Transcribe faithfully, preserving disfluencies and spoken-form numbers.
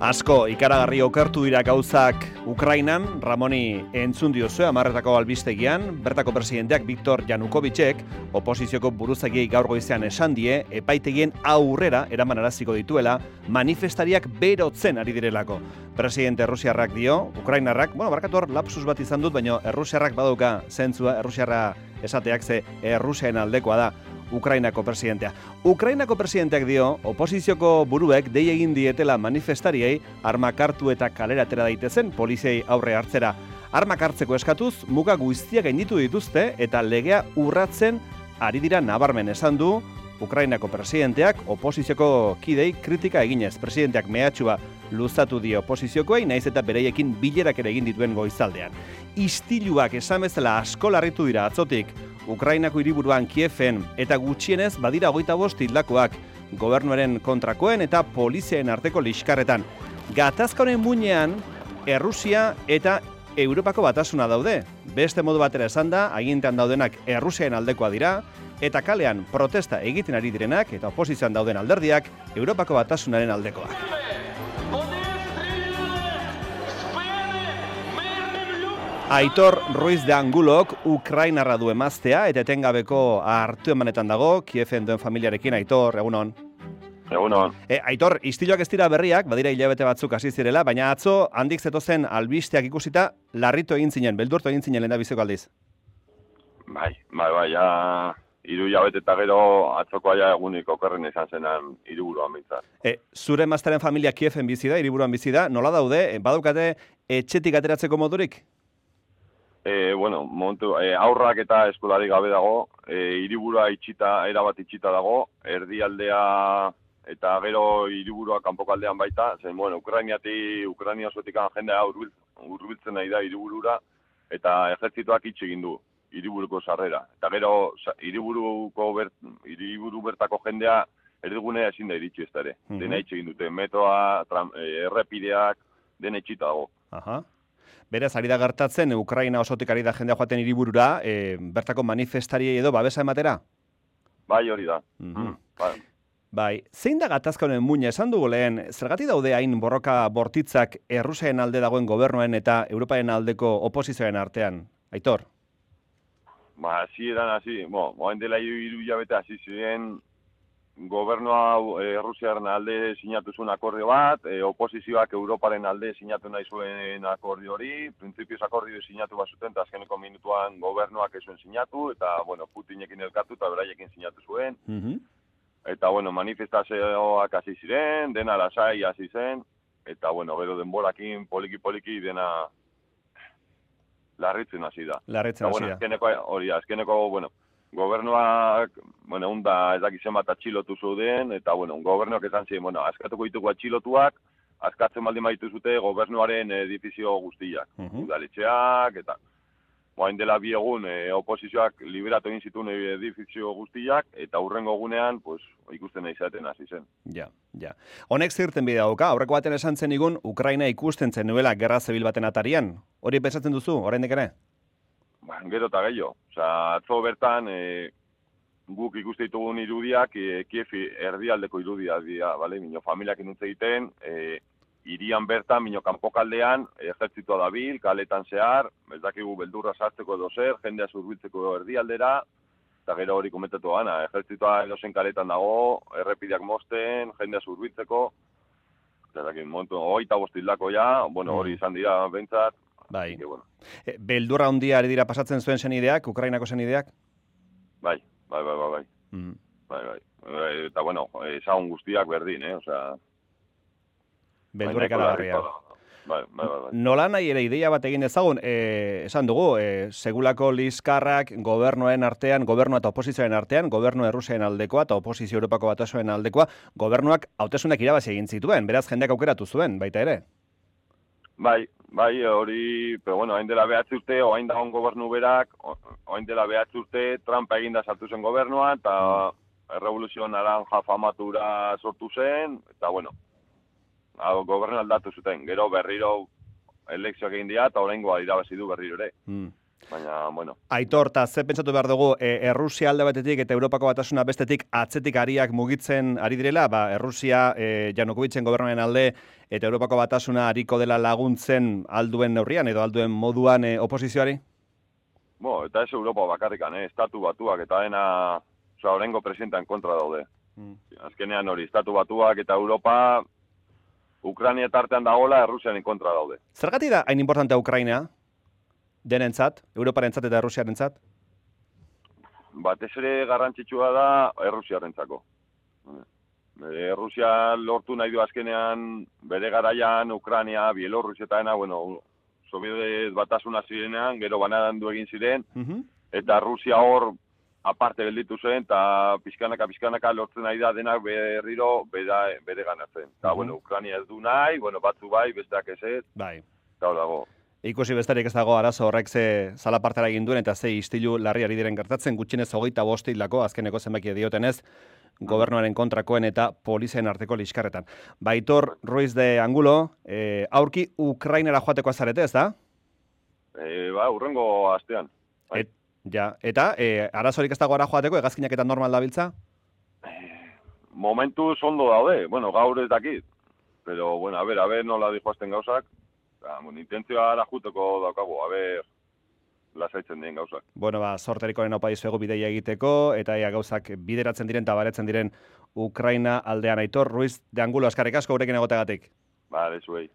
Asko ikaragarri okertu dira gauzak Ukrainan, Ramoni entzun diozue hamarretako albistegian, bertako presidenteak Viktor Yanukovicek oposizioko buruzagiei gaur goizean esan die, epaitegien aurrera eraman araziko dituela, manifestariak berotzen ari direlako. Presidente Errusiarrak dio, Ukrainarrak, bueno, barkatu hor lapsus bat izan dut, baina Errusiarrak badauka zentzua, Errusiarra esateak ze Errusiaen aldekoa da. Ukrainako presidentea. Ukrainako presidenteak dio, oposizioko buruek dei egin dietela manifestariei armak hartu eta kalera atera daitezen poliziei aurre hartzera. Armak hartzeko eskatuz, muga guztiak gainditu dituzte eta legea urratzen ari dira nabarmen esan du Ukrainako presidenteak oposizioko kidei kritika eginez. Presidenteak mehatxua luzatu dio oposiziokoei, naiz eta bereiekin bilerak ere egin dituen goizaldean. Istiluak esan bezala asko larritu dira atzotik, Ukrainako hiriburuan Kieven eta gutxienez badira hogeita bost hildakoak gobernuaren kontrakoen eta poliziaen arteko liskarretan. Gatazka honen muinean Errusia eta Europako batasuna daude. Beste modu batera esan da, agintean daudenak Errusiaen aldekoa dira, eta kalean protesta egiten ari direnak eta oposizioan dauden alderdiak Europako batasunaren aldekoak. Aitor Ruiz de Angulok Ukrainarra du emaztea eta etengabeko hartu emanetan dago, Kieven duen familiarekin. Aitor, egunon. Egunon. E, Aitor, istiloak ez dira berriak, badira hilabete batzuk hasi zirela, baina atzo handik zetozen albisteak ikusita larritu egin zinen, beldurtu egin zinen lehendabiziko aldiz. Bai, bai, bai, ja, hiru hilabete eta gero atzokoa ja egunik okerren izan zenan hiriburuan bintzat. E, zure emaztearen familia Kieven bizi da, hiriburuan bizi da, nola daude, e, badaukate etxetik ateratzeko modurik? E, bueno, momentu, e, aurrak eta eskolari gabe dago, e, hiriburua itxita, erabat itxita dago, erdialdea eta gero hiriburua kanpokaldean baita, zen, bueno, Ukrainiati, Ukraina osotikan jendea hurbiltzen nahi da hiriburura, eta ejertzituak itxi egin du hiriburuko sarrera. Eta gero hiriburuko bert, hiriburu bertako jendea erdigunea ezin da iritsi ez da ere. Mm -hmm. Dena itxi egin dute, metoa, tram, e, errepideak, dena itxita dago. Aha. Beraz, ari da gertatzen, Ukraina osotik ari da jendea joaten hiriburura, e, bertako manifestariei edo babesa ematera? Bai, hori da. Mm -hmm. bai. bai, zein da gatazka honen muina esan dugu lehen, zergatik daude hain borroka bortitzak Errusiaen alde dagoen gobernuen eta Europaren aldeko oposizioaren artean? Aitor? Ba, hasi eran hasi, bo, moen dela hiru hilabete hasi ziren, gobernua Errusiaren alde sinatu zuen akordio bat, e, oposizioak Europaren alde sinatu nahi zuen akordio hori, printzipioz akordio sinatu bat zuten, eta azkeneko minutuan gobernuak ez zuen sinatu, eta, bueno, Putinekin elkatu eta beraiekin sinatu zuen. Mm-hmm. Eta, bueno, manifestazioak hasi ziren, dena lasai hasi zen, eta, bueno, gero denborakin poliki-poliki dena larritzen hasi da. Larritzen hasi da. Bueno, azkeneko, hori, azkeneko, bueno, gobernuak, bueno, unda ez dakizen bat atxilotu zuden, eta, bueno, gobernuak esan ziren, bueno, askatuko ditugu atxilotuak, askatzen baldin baitu zute gobernuaren edifizio guztiak, uh-huh. udaletxeak, eta, boain dela bi egun, e, oposizioak liberatu egin zituen edifizio guztiak, eta hurrengo egunean, pues, ikusten nahi zaten hasi zen. Ja, ja. Honek zirten bidea dauka, aurreko baten esan zen igun, Ukraina ikusten zen nuela gerra zebil baten atarian. Hori pensatzen duzu, oraindik ere? Ba, gero eta gehiago. Osa, atzo bertan, e, guk ikuste ditugun irudiak, e, Kievi erdialdeko irudiak dira, bale? Mino familiak inutze egiten, e, irian bertan, mino kanpokaldean, ejertzitua dabil, kaletan zehar, ez dakigu beldurra sartzeko edo zer, jendea zurbiltzeko erdialdera, eta gero hori komentatu gana, ejertzitua edozen kaletan dago, errepideak mosten, jendea zurbiltzeko, eta dakin, momentu, oita bostildako ja, bueno, hori izan dira bentsat. Bai. Que, bueno. E, beldurra handia ari dira pasatzen zuen senideak, Ukrainako senideak? Bai, bai, bai, bai, bai. Mm. Bai, bai. E, eta, bueno, ezagun guztiak berdin, eh, osea... Beldurrek aragarria. Bai, bai, bai, bai. Nola nahi ere ideia bat egin ezagun, e, esan dugu, e, segulako liskarrak gobernoen artean, gobernua eta oposizioen artean, gobernu Errusiaen aldekoa eta oposizio Europako batasoen aldekoa, gobernuak hauteskunak irabazi egin zituen, beraz jendeak aukeratu zuen, baita ere? Bai, bai, hori, pero bueno, hain dela behatzi urte, oain dagoen gobernu berak, oain dela behatzi urte, Trumpa eginda sartu zen gobernua, eta mm. Revoluzio Naranja famatura sortu zen, eta bueno, gobernu aldatu zuten, gero berriro elekzioak egin dira, eta oraingoa irabazi du berriro ere. Mm. Baina, bueno. Aitor, eta ze pentsatu behar dugu, e, Errusia alde batetik eta Europako batasuna bestetik atzetik ariak mugitzen ari direla, ba, Errusia e, Janukovitzen gobernuaren alde eta Europako batasuna ariko dela laguntzen alduen neurrian edo alduen moduan e, oposizioari? Bo, eta ez Europa bakarrikan, eh? Estatu batuak eta dena, oza, orengo presidentan kontra daude. Mm. Azkenean hori, Estatu batuak eta Europa, Ukrania tartean dagoela, Errusianen kontra daude. Zergatik da hain importantea Ukraina? Denentzat, Europarentzat eta Errusiarentzat? Batez ere garrantzitsua da Errusiarentzako. Errusia lortu nahi du azkenean bere garaian Ukraina, Bielorrusia eta dena, bueno, Sobiet batasuna zirenean, gero banarandu egin ziren, uh-huh. Eta Rusia hor aparte gelditu zen, eta pixkanaka, pixkanaka lortzen nahi da denak berriro bere, bere ganatzen. Eta, uh-huh. Bueno, Ukraina ez du nahi, bueno, batzu bai, besteak ez ez, bai. Eta dago. Ikusi bestarik ez dago arazo horrek ze zalapartara egin duen eta ze istilu larri ari diren gertatzen, gutxienez hogeita bost hildako, azkeneko zenbaki diotenez, gobernuaren kontrakoen eta polizien arteko liskarretan. Aitor Ruiz de Angulo, e, aurki Ukrainara joateko azarete, ez da? E, ba, urrengo astean. Et, ja, eta e, arazorik ez dago ara joateko, hegazkinak eta normal dabiltza? E, momentu ondo daude, bueno, gaur ez dakit. Pero, bueno, a ver, a ver, nola dijoazten gauzak. Bueno, intentzioa ara juteko daukagu, a ber, lasaitzen dien gauzak. Bueno, ba, sorterikoren opa dizuegu bideia egiteko, eta ea gauzak bideratzen diren eta baretzen diren Ukraina aldean. Aitor Ruiz de Angulo, askarrik asko gurekin egotegatik. Ba, dezuei.